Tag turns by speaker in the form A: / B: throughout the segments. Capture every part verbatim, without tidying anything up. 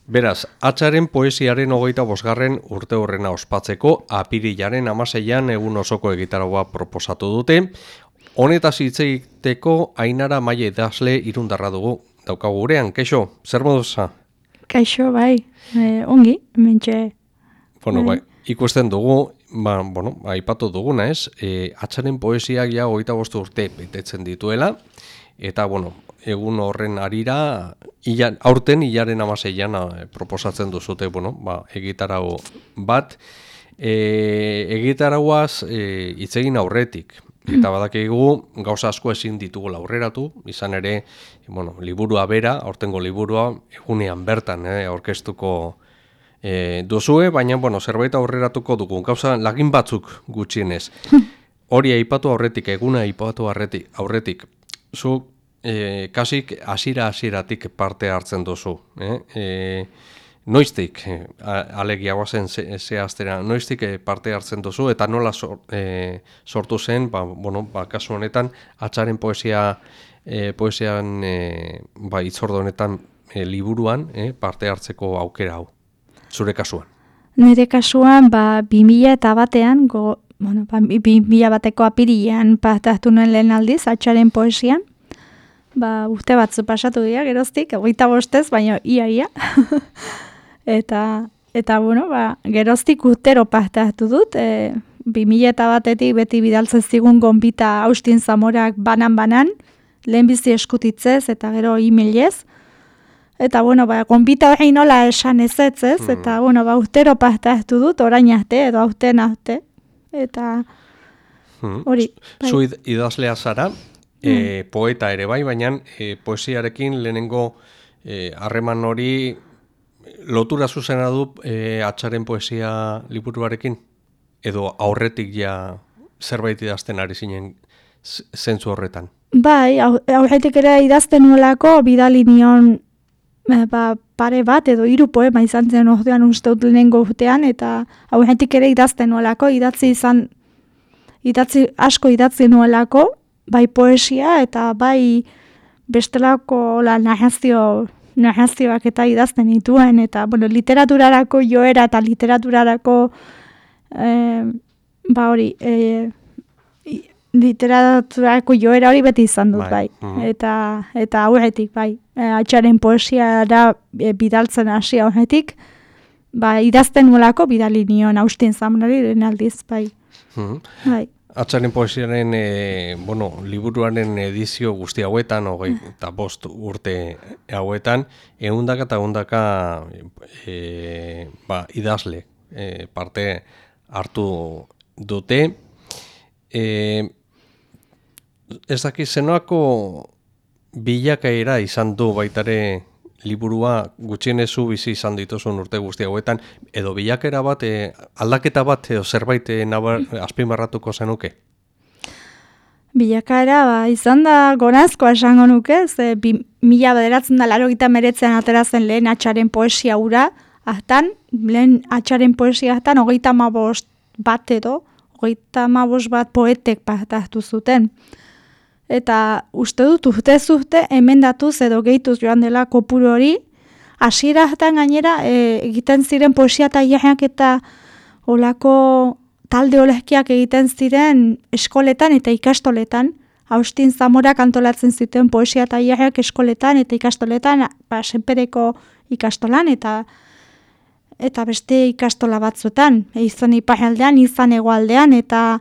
A: Beraz, Atzaren poesiaren hogeita bosgarren urte horrena ospatzeko apirilaren hamaseian egun osoko egitaragua proposatu dute. Honetaz hitz egiteko Ainara Maia idazle irundarra dugu. Daukagu gurean, kaixo, zer moduza?
B: Kaixo, bai, e, ongi, mentxe.
A: Bueno, bai, ikusten dugu, ba, bueno, aipatu duguna ez, e, Atzaren poesiak ja hogeita bost urte betetzen dituela, eta, bueno, egun horren arira, ilan, aurten hilaren hamaseian proposatzen duzute, bueno, ba, egitarago bat, e, egitaragoaz e, hitz egin aurretik, eta badakigu gauza asko ezin ditugu aurreratu, izan ere, bueno, liburua bera, aurtengo liburua, egunean bertan, eh, aurkeztuko e, duzue, baina, bueno, zerbait aurreratuko dugu, gauza lagin batzuk gutxienez. Hori aipatu aurretik, eguna aipatu aurretik, aurretik, zu E, kasik hasiera hasieratik parte hartzen duzu. Eh? E, noiztik, e, alegia guazen zehaztera, ze noiztik parte hartzen duzu, eta nola sor, e, sortu zen, ba, bueno, ba, kasu honetan, Atzaren poesia, e, poesian e, ba, itzordo honetan e, liburuan e, parte hartzeko aukera hau, zure kasuan.
B: Nire kasuan, ba, bi mila eta batean, go, bueno, ba, bi mila bateko apirilean parte hartu nuen lehen aldiz, Atzaren poesian, ba, urte batzu pasatu dira, geroztik, hogeita bostez, baina ia, ia. eta, eta, bueno, ba, geroztik urtero parte hartu dut, e, bi mila eta batetik beti bidaltzen zigun gonbita Austin Zamorak banan-banan, lehenbizi eskutitzez, eta gero e-mailez. Eta, bueno, ba, gonbita hori nola esan ezetzez, mm. eta, bueno, ba, urtero parte hartu dut, orain arte, edo aurten arte. Eta, hori.
A: Mm. Zu idazlea zara, E, poeta ere bai, baina e, poesiarekin lehenengo harreman e, hori lotura zuzena du e, Atzaren poesia liburuarekin? Edo aurretik ja zerbait idazten ari zinen zentzu horretan?
B: Bai, aurretik ere idazten nuelako bidali nion e, ba, pare bat edo hiru poema izan zen ordean uste dut lehenengo urtean, eta aurretik ere idazten nuelako, idatzi izan, idatzi, asko idatzi nuelako, bai poesia eta bai bestelako la narrazio, narrazioak eta idazten dituen, eta bueno, literaturarako joera eta literaturarako eh, ba hori eh, literaturarako joera hori beti izan dut, bai, bai. eta eta aurretik, bai, Atzaren poesiara e, bidaltzen hasi aurretik, ba, idazten nuelako bidali nion Austin Zamorari lehen aldiz, bai.
A: Mm.
B: Bai.
A: Atzaren poesiaren e, bueno, liburuaren edizio guzti hauetan, hogei eta bost urte hauetan, ehundaka eta ehundaka e, ba, idazle e, parte hartu dute. E, ez dakit zenoako bilakaera izan du baitare liburua gutxienezu bizi izan dituzun urte guzti hauetan, edo bilakera bat, e, aldaketa bat, edo zerbait e, nabar, azpimarratuko zenuke?
B: Bilakaera, ba, izan da gorazkoa esango nuke, ze bi, mila bederatzen da laurogeita hemeretzian aterazen lehen Atzaren poesia hura, hartan, lehen Atzaren poesia hartan, hogeita hamabost bat edo, hogeita hamabost bat poetek parte hartu zuten. Eta uste dut urtez urte emendatuz edo gehituz joan dela kopuru hori, hasiera hartan gainera e, egiten ziren poesia tailerrak eta olako talde olezkiak egiten ziren eskoletan eta ikastoletan. Austin Zamorak antolatzen zuten poesia tailerrak eskoletan eta ikastoletan, ba, Senpereko ikastolan eta eta beste ikastola batzuetan, e, izan iparraldean, izan hegoaldean, eta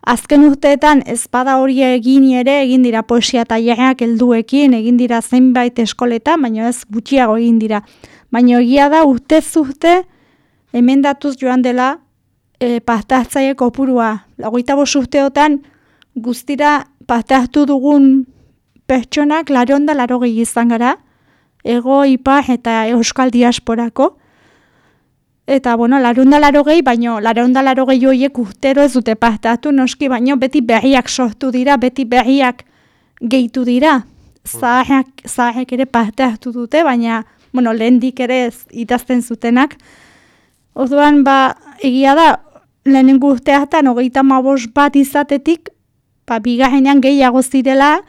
B: azken urteetan ezpada hori egin ere, egin dira poesia tailerrak helduekin, egin dira zenbait eskoletan, baina ez gutxiago egin dira. Baina egia da urtez urte emendatuz joan dela e, parte hartzaile kopurua. Hogeita bost urteotan guztira parte hartu dugun pertsonak laurehun eta laurogei izan gara, ego, ipar eta euskal diasporako. Eta, bueno, laurehun eta laurogei, baino laurehun eta laurogei horiek urtero ez dute parte hartu noski, baino beti berriak sortu dira, beti berriak gehitu dira. Zaharrak, zaharrak ere parte hartu dute, baina, bueno, lehendik ere ez idazten zutenak. Orduan, ba, egia da, lehenengo urteatan, hogeita hamabost bat izatetik, ba, bigarrenean gehiago zirela,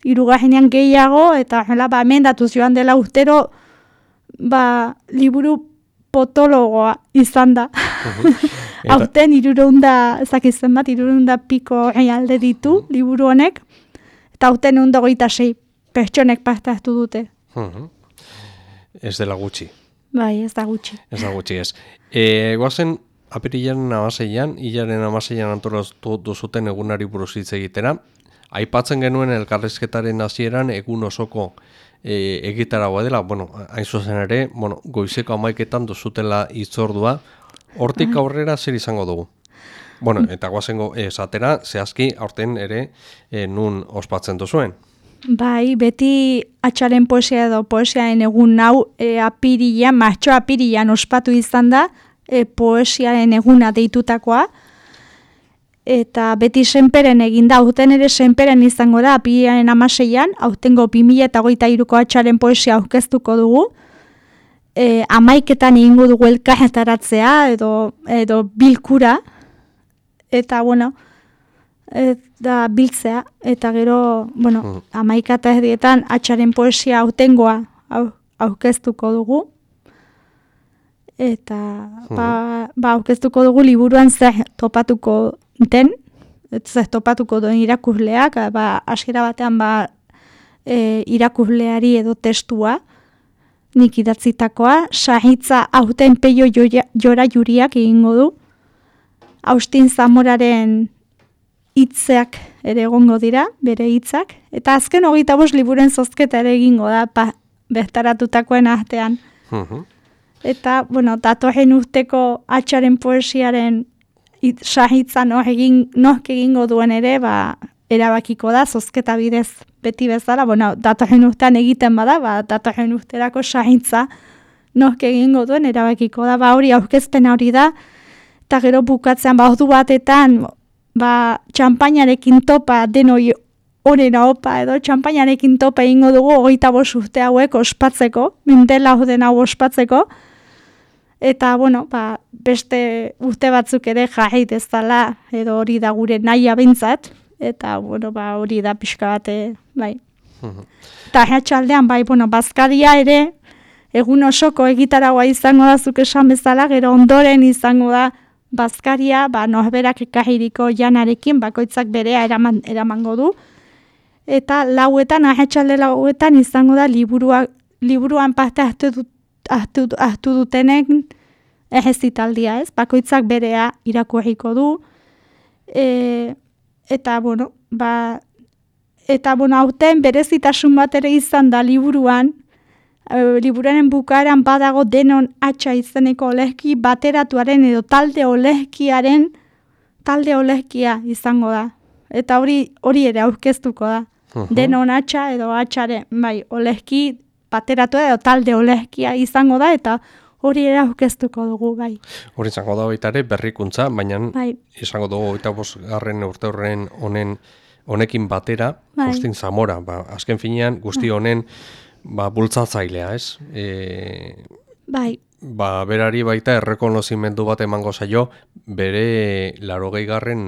B: hirugarrenean gehiago, eta hela, ba, emendatuz joan dela urtero, ba, liburu potologoa izan da.
A: Eta-
B: Aurten irureunda, ezakizten bat, irureunda piko alde ditu liburu honek, eta aurten egun dagoita sei pertsonek parte hartu dute.
A: Mhm. Ez dela gutxi.
B: Bai, ez da gutxi.
A: Ez da gutxi ez. E, goazen apirilaren amaseian, hilaren amaseian antolatu duzuten egunari buruz hitz egitera. Aipatzen genuen elkarrizketaren hasieran egun osoko e, egitaragoa dela, bueno, hain zuzen ere, bueno, goizeko hamaiketan duzutela hitzordua, hortik aurrera zer izango dugu? Bueno, eta goazengo esatera, zehazki, aurten ere, e, nun ospatzen duzuen.
B: Bai, beti atxaren poesia edo poesiaren egun hau e, apirilan, martxo apirilan ospatu izan da, e, poesiaren eguna deitutakoa, eta beti senperen egin da, aurten ere senperen izango da, apirilaren amaseian, aurtengo bi mila hogeita hiruko atxaren poesia aurkeztuko dugu, e, amaiketan egingo dugu elkarretaratzea edo, edo bilkura, eta bueno, eta biltzea, eta gero, bueno,
A: Mm.
B: amaika eta erdietan atxaren poesia aurtengoa au, aurkeztuko dugu, eta ba, ba aurkeztuko dugu liburuan zer topatuko den, zer topatuko duen irakurleak, ba, hasiera batean ba, e, irakurleari edo testua, nik idatzitakoa, sahitza aurten peio joia- jora juriak egingo du, Austin Zamoraren hitzeak ere egongo dira, bere hitzak, eta azken hogeita bost liburen zozketa ere egingo da, pa, bertaratutakoen artean.
A: Mhm.
B: Eta, bueno, datorren urteko atxaren poesiaren it, sahitza noh egin, nohk egingo duen ere, ba, erabakiko da, zozketa bidez beti bezala, bueno, datorren urtean egiten bada, ba, datorren urterako sahitza nohk egingo duen erabakiko da, ba, hori aurkezpen hori da, eta gero bukatzean, ba, ordu batetan, ba, txampainarekin topa denoi onena opa edo txampainarekin topa egingo dugu hogeita bost urte hauek ospatzeko, mendela den hau ospatzeko, eta, bueno, ba, beste urte batzuk ere jarri dezala, edo hori da gure nahia behintzat, eta, bueno, ba, hori da pixka bate, bai. Eta atxaldean, bai, bueno, bazkaria ere, egun osoko egitaragoa izango da zuk esan bezala, gero ondoren izango da bazkaria, ba, norberak ekarriko janarekin, bakoitzak berea eraman, eramango du, eta lauetan, ahetxalde lauetan izango da liburua, liburuan parte hartu, dut, hartu, hartu dutenen errezitaldia, ez? Bakoitzak berea irakurriko du, e, eta, bueno, ba, eta, bueno, aurten berezitasun bat ere izan da liburuan, e, liburuaren bukaeran badago denon atxa izeneko olezki bateratuaren edo talde olezkiaren talde olezkia izango da. Eta hori hori ere aurkeztuko da.
A: Mhm.
B: Denon atxa edo atxaren, bai, olezki bateratu edo talde olezkia izango da, eta hori ere aurkeztuko dugu, bai.
A: Hori izango da baita ere berrikuntza, baina
B: Bai.
A: izango dugu eta bosgarren urte horren honen honekin batera,
B: Bai.
A: Austin Zamora, ba, azken finean guzti honen ba, bultzatzailea, ez? E,
B: Bai,
A: ba, berari baita errekonozimendu bat emango zaio bere larogei garren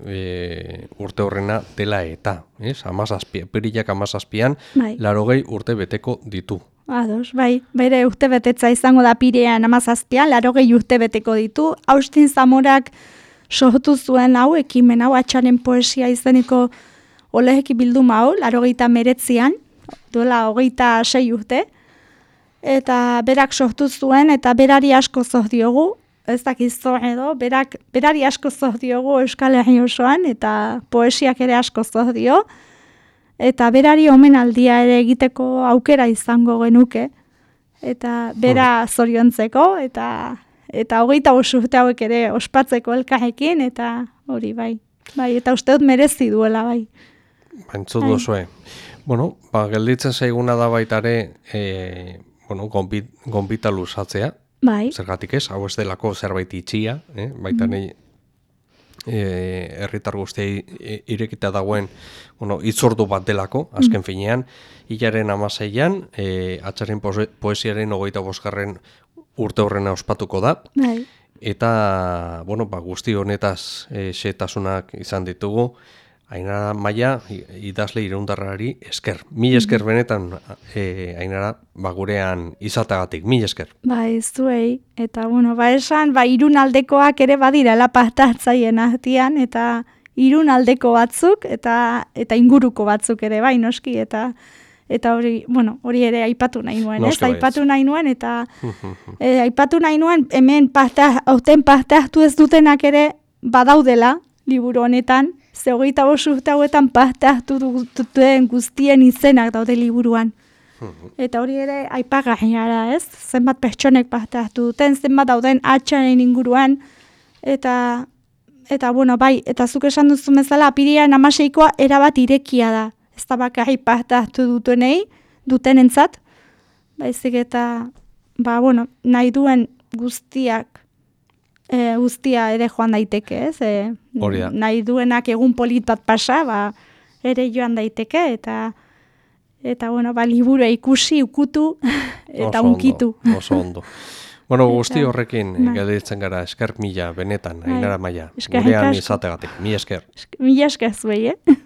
A: e, urte horrena dela eta, ez? Amazazpi, perilak amazazpian,
B: Bai.
A: larogei urte beteko ditu.
B: ados, bai, bere urte betetza izango da pirean amazazpian, larogei urte beteko ditu. Austin Zamorak sortu zuen hau, ekimen hau, atxaren poesia izeneko oleheki bilduma hau, larogeita meretzian, duela hogeita sei urte, eta berak sortu zuen, eta berari asko zoz diogu, ez dakizo edo, berak, berari asko zoz diogu Euskal Herri osoan, eta poesiak ere asko zoz dio, eta berari omenaldia ere egiteko aukera izango genuke, eta bera zoriontzeko, eta eta hogeita bost urte hauek ere ospatzeko elkarrekin, eta hori bai. Bai, eta uste dut merezi duela, bai.
A: Bantzut
B: Bai.
A: duzue. Bueno, ba, gelditzen zaiguna da baita ere, e, bueno, gonbit, gonbita luzatzea,
B: Bai,
A: zergatik ez, hau ez delako zerbait itxia, eh? baita nahi e, herritar guztiei e, irekita dagoen bueno, itzordu bat delako, azken finean, hilaren amaseian, e, atxaren poe- poesiaren hogeita bosgarren urte horrena ospatuko da,
B: bai,
A: eta bueno, ba, guzti honetaz e, xehetasunak izan ditugu, Ainara Maia, idazle iraundarrari esker. Mil esker benetan, e, Ainara, ba, gurean izatagatik, mil esker.
B: Ba, ez zuei, eta, bueno, ba, esan, ba, irun aldekoak ere badira lapaztatzaien ahtian, eta irun aldeko batzuk, eta eta inguruko batzuk ere, bai, noski, eta eta hori, bueno, hori ere aipatu nahi nuen, ez?
A: Noski baietz.
B: Aipatu nahi nuen, eta e, aipatu nahi nuen, hemen parte, hauten parte hartu ez dutenak ere badaudela, liburu honetan, ze hogeita bost urte hauetan parte hartu duten guztien izenak daude liburuan. Eta hori ere aipagarria, ez? Zenbat pertsonek parte hartu duten, zenbat dauden atxaren inguruan, eta, eta bueno, bai, eta zuk esan duzu bezala, apirilean hamaseikoa erabat irekia da. Ez da bakarrik parte hartu dutenei, dutenentzat, baizik eta, ba, bueno, nahi duen guztiak, E, guztia ere joan daiteke, ez? E, nahi duenak egun polit bat pasa, ba, ere joan daiteke, eta, eta bueno, ba, liburu ikusi, ukutu, eta
A: oso
B: unkitu.
A: Ondo, oso ondo. Bueno, guzti horrekin gelditzen gara, esker mila, benetan, Ainara Maia, gurean izategatik, mi esker.
B: Mila esker zuei, eh?